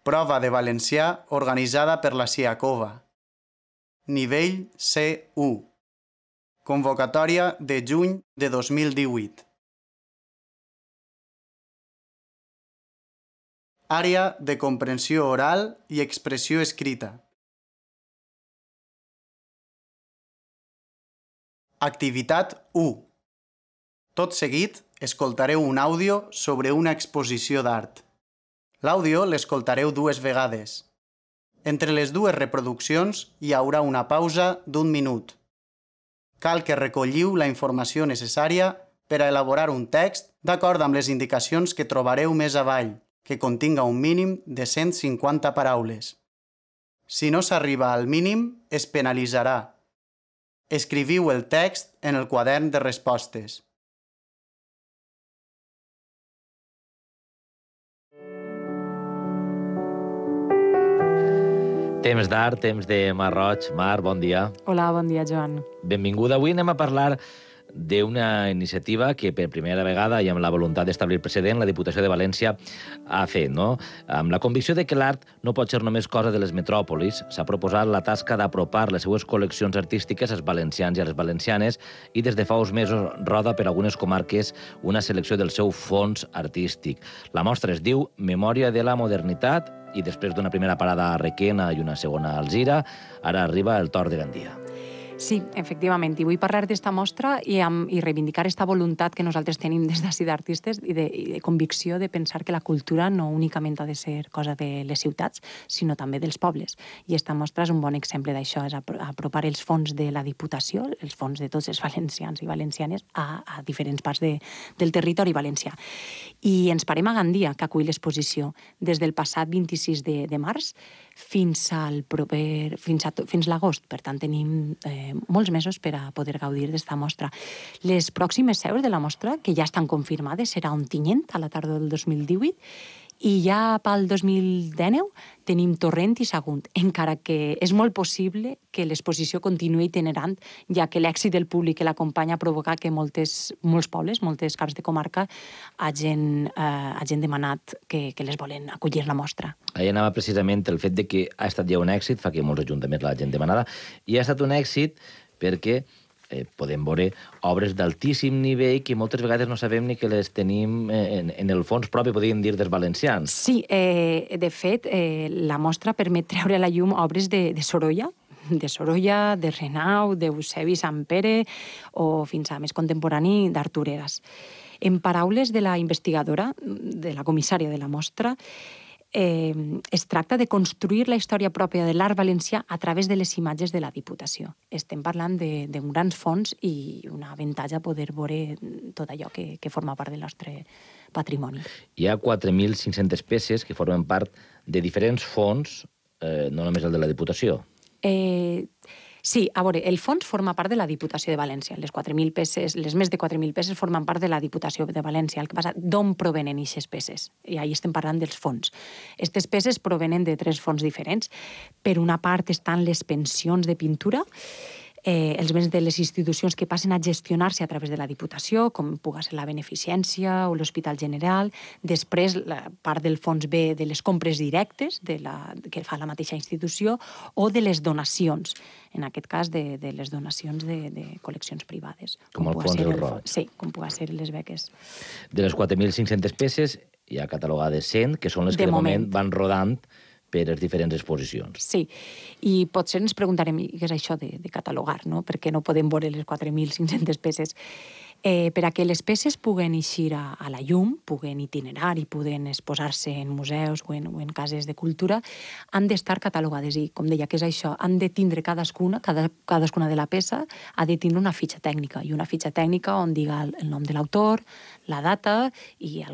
Prova de valencià organitzada per la Siacova. Nivell C1. Convocatòria de juny de 2018. Àrea de comprensió oral i expressió escrita. Activitat 1. Tot seguit, escoltareu un àudio sobre una exposició d'art. L'àudio l'escoltareu 2 vegades. Entre les 2 reproduccions hi haurà una pausa d'1 minut. Cal que recolliu la informació necessària per a elaborar un text d'acord amb les indicacions que trobareu més avall, que continga un mínim de 150 paraules. Si no s'arriba al mínim, es penalitzarà. Escriviu el text en el quadern de respostes. Temps d'art, temps de Mar Roig. Mar, bon dia. Hola, bon dia, Joan. Benvinguda. Avui anem a parlar d'una iniciativa que per primera vegada i amb la voluntat d'establir precedent la Diputació de València ha fet, no? Amb la convicció de que l'art no pot ser només cosa de les metròpolis, s'ha proposat la tasca d'apropar les seues col·leccions artístiques als valencians i a les valencianes i des de fa uns mesos roda per algunes comarques una selecció del seu fons artístic. La mostra es diu Memòria de la Modernitat i després d'una primera parada a Requena i una segona a Alzira, ara arriba el torn de Gandia. Sí, efectivament, i vull parlar d'esta mostra i reivindicar aquesta voluntat que nosaltres tenim des d'ací d'artistes i de convicció de pensar que la cultura no únicament ha de ser cosa de les ciutats, sinó també dels pobles. I esta mostra és un bon exemple d'això, és apropar els fons de la Diputació, els fons de tots els valencians i valencianes a diferents parts del territori valencià. I ens parem a Gandia, que acull l'exposició, des del passat 26 de març fins l'agost. Per tant, tenim molts mesos per a poder gaudir d'esta mostra. Les pròximes seus de la mostra, que ja estan confirmades, serà Ontinyent, a la tardor del 2018, i ja pel 2019 tenim Torrent i Sagunt, encara que és molt possible que l'exposició continuï itinerant, ja que l'èxit del públic que l'acompanya ha provocat que molts pobles, moltes caps de comarca, hagin demanat que les volen acollir la mostra. Ahí anava precisament el fet de que ha estat ja un èxit, fa que molts ajuntaments l'hagin demanada, i ha estat un èxit perquè podem veure obres d'altíssim nivell que moltes vegades no sabem ni que les tenim en el fons propi, podríem dir, dels valencians. Sí, de fet, la mostra permet treure a la llum obres de Sorolla, de Renau, d'Eusebi Sampere o fins a més contemporani d'Artur Eras. En paraules de la investigadora, de la comissària de la mostra, es tracta de construir la història pròpia de l'art valencià a través de les imatges de la Diputació. Estem parlant d'un grans fons i un avantatge poder veure tot allò que forma part del nostre patrimoni. Hi ha 4.500 peces que formen part de diferents fons, no només el de la Diputació. Sí, a veure, el fons forma part de la Diputació de València. Les 4.000 peces, les més de 4.000 peces formen part de la Diputació de València. El que passa, d'on provenen aquestes peces? I ahí estem parlant dels fons. Aquestes peces provenen de 3 fons diferents. Per una part estan les pensions de pintura, els béns de les institucions que passen a gestionar-se a través de la Diputació, com pugui ser la Beneficència o l'Hospital General. Després, la part del fons ve de les compres directes que fa la mateixa institució o de les donacions, en aquest cas de les donacions de col·leccions privades. Com el fons del Roig. Sí, com pugui ser les beques. De les 4.500 peces hi ha catalogades 100, que són les que de moment van rodant per les diferents exposicions. Sí, i potser ens preguntarem què és això de catalogar, no? Perquè no podem veure les 4.500 peces. Per a que les peces puguen eixir a la llum, puguen itinerar i puguen exposar-se en museus o en cases de cultura, han d'estar catalogades i, com deia, què és això? Han de tindre cadascuna de la peça ha de tindre una fitxa tècnica, i una fitxa tècnica on diga el nom de l'autor, la data i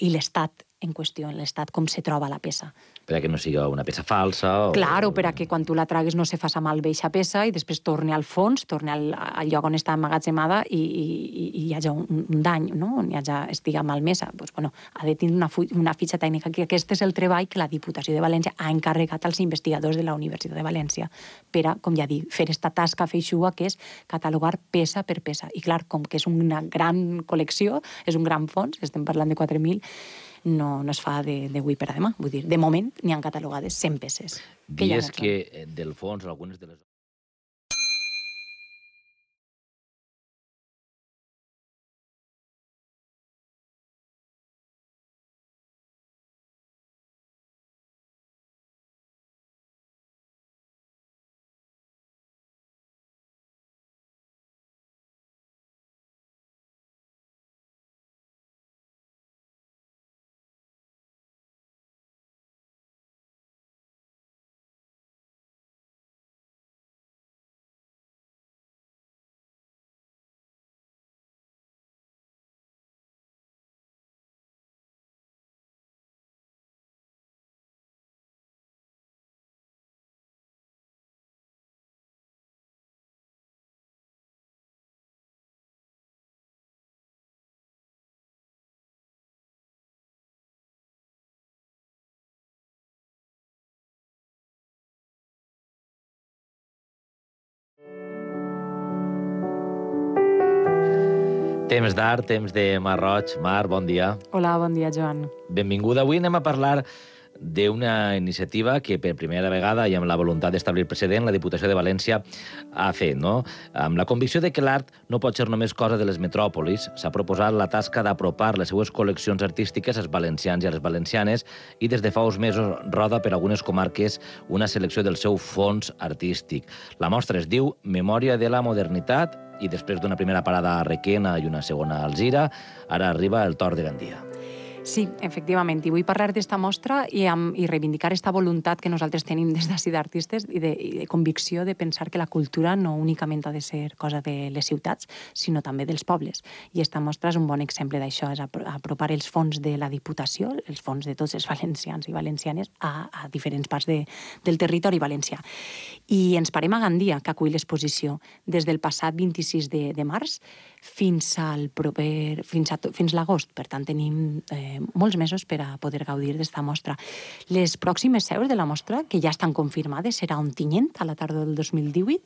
l'estat en qüestió, l'estat com se troba la peça. Per a que no sigui una peça falsa. Claro, per a que quan tu la tragues no se faça malbé eixa peça i després torni al fons, torni al lloc on està emmagatzemada i hi hagi un dany, no? On estiga malmesa. Doncs, bueno, ha de tenir una fitxa tècnica, que aquest és el treball que la Diputació de València ha encarregat als investigadors de la Universitat de València per a, com ja dic, fer esta tasca feixuga que és catalogar peça per peça. I clar, com que és una gran col·lecció, és un gran fons, estem parlant de 4.000, no es fa d'avui per a demà. Vull dir, de moment n'hi han catalogades 100 peces. Dies que, del fons, algunes de les... Temps d'art, temps de Mar Roig. Mar, bon dia. Hola, bon dia, Joan. Benvinguda. Avui anem a parlar d'una iniciativa que per primera vegada i amb la voluntat d'establir precedent la Diputació de València ha fet, no? Amb la convicció de que l'art no pot ser només cosa de les metròpolis, s'ha proposat la tasca d'apropar les seues col·leccions artístiques als valencians i a les valencianes i des de fa uns mesos roda per algunes comarques una selecció del seu fons artístic. La mostra es diu Memòria de la Modernitat i després d'una primera parada a Requena i una segona a Alzira, ara arriba el torn de Gandia. Sí, efectivament, i vull parlar d'esta mostra i reivindicar aquesta voluntat que nosaltres tenim des d'ací d'artistes i de convicció de pensar que la cultura no únicament ha de ser cosa de les ciutats, sinó també dels pobles. I esta mostra és un bon exemple d'això, és apropar els fons de la Diputació, els fons de tots els valencians i valencianes a diferents parts del territori valencià. I ens parem a Gandia, que acull l'exposició, des del passat 26 de març fins l'agost. Per tant, tenim molts mesos per a poder gaudir d'esta mostra. Les pròximes seus de la mostra, que ja estan confirmades, serà a Ontinyent, a la tardor del 2018,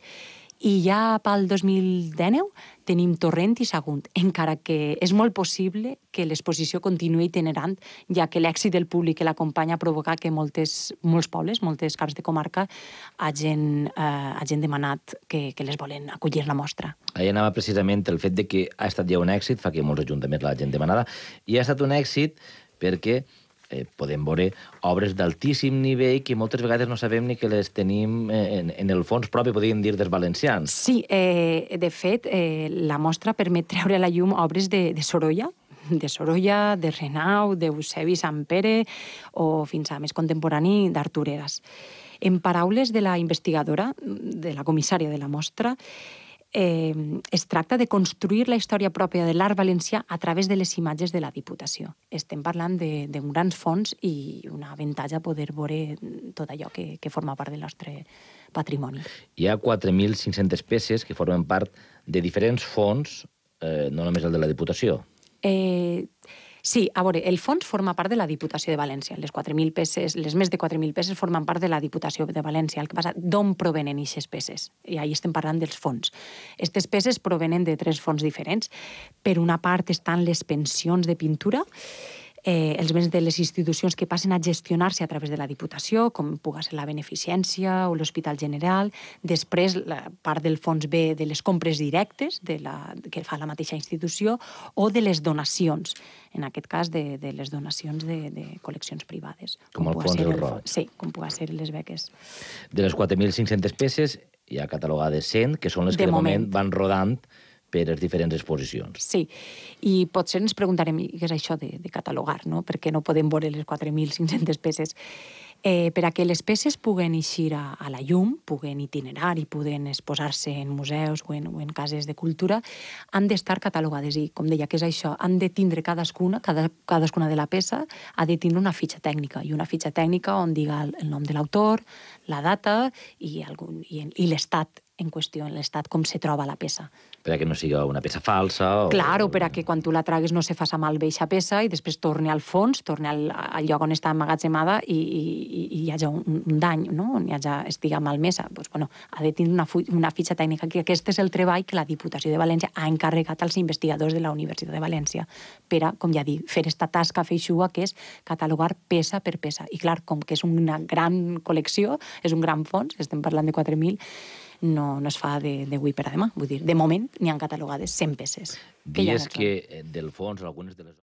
i ja pel 2019 tenim Torrent i Sagunt, encara que és molt possible que l'exposició continuï itinerant, ja que l'èxit del públic que l'acompanya ha provocat que molts pobles, moltes caps de comarca, hagin demanat que les volen acollir la mostra. Ahí anava precisament el fet de que ha estat ja un èxit, fa que molts ajuntaments l'hagin demanada, i ha estat un èxit perquè podem veure obres d'altíssim nivell que moltes vegades no sabem ni que les tenim en el fons propi, podríem dir, dels valencians. Sí, de fet, la mostra permet treure a la llum obres de Sorolla, de Renau, d'Eusebi Sampere o fins a més contemporani d'Artur Eras. En paraules de la investigadora, de la comissària de la mostra, es tracta de construir la història pròpia de l'art valencià a través de les imatges de la Diputació. Estem parlant d'un gran fons i un avantatge poder veure tot allò que forma part del nostre patrimoni. Hi ha 4.500 peces que formen part de diferents fons, no només el de la Diputació. Sí, a veure, el fons forma part de la Diputació de València. Les 4.000 peces, les més de 4.000 peces formen part de la Diputació de València. El que passa, d'on provenen aquestes peces? I ahí estem parlant dels fons. Aquestes peces provenen de 3 fons diferents. Per una part estan les pensions de pintura, els béns de les institucions que passen a gestionar-se a través de la Diputació, com pugui ser la Beneficència o l'Hospital General. Després, la part del fons ve de les compres directes que fa la mateixa institució o de les donacions, en aquest cas de les donacions de col·leccions privades. Com el fons del Roig. Sí, com pugui ser les beques. De les 4.500 peces hi ha catalogades 100, que són les que de moment van rodant per les diferents exposicions. Sí, i potser ens preguntarem què és això de catalogar, no? Per què no podem veure les 4.500 peces? Per a que les peces puguen eixir a la llum, puguen itinerar i puguen exposar-se en museus o en cases de cultura, han d'estar catalogades i, com deia, què és això? Han de tindre cadascuna de la peça ha de tindre una fitxa tècnica, i una fitxa tècnica on diga el nom de l'autor, la data i l'estat en qüestió, en l'estat com se troba la peça. Perquè no siga una peça falsa. Claro, per a que quan tu la tragues no se faça malbé eixa peça i després torni al fons, torni al lloc on està emmagatzemada i hi hagi un dany, no? On estiga malmesa. Pues, bueno, ha de tindre una fitxa tècnica, que aquest és el treball que la Diputació de València ha encarregat als investigadors de la Universitat de València per a, com ja dic, fer esta tasca feixuga que és catalogar peça per peça. I clar, com que és una gran col·lecció, és un gran fons, estem parlant de 4.000, no es fa d'avui per a demà. Vull dir, de moment n'hi han catalogades 100 peces. Dies que del fons algunes de les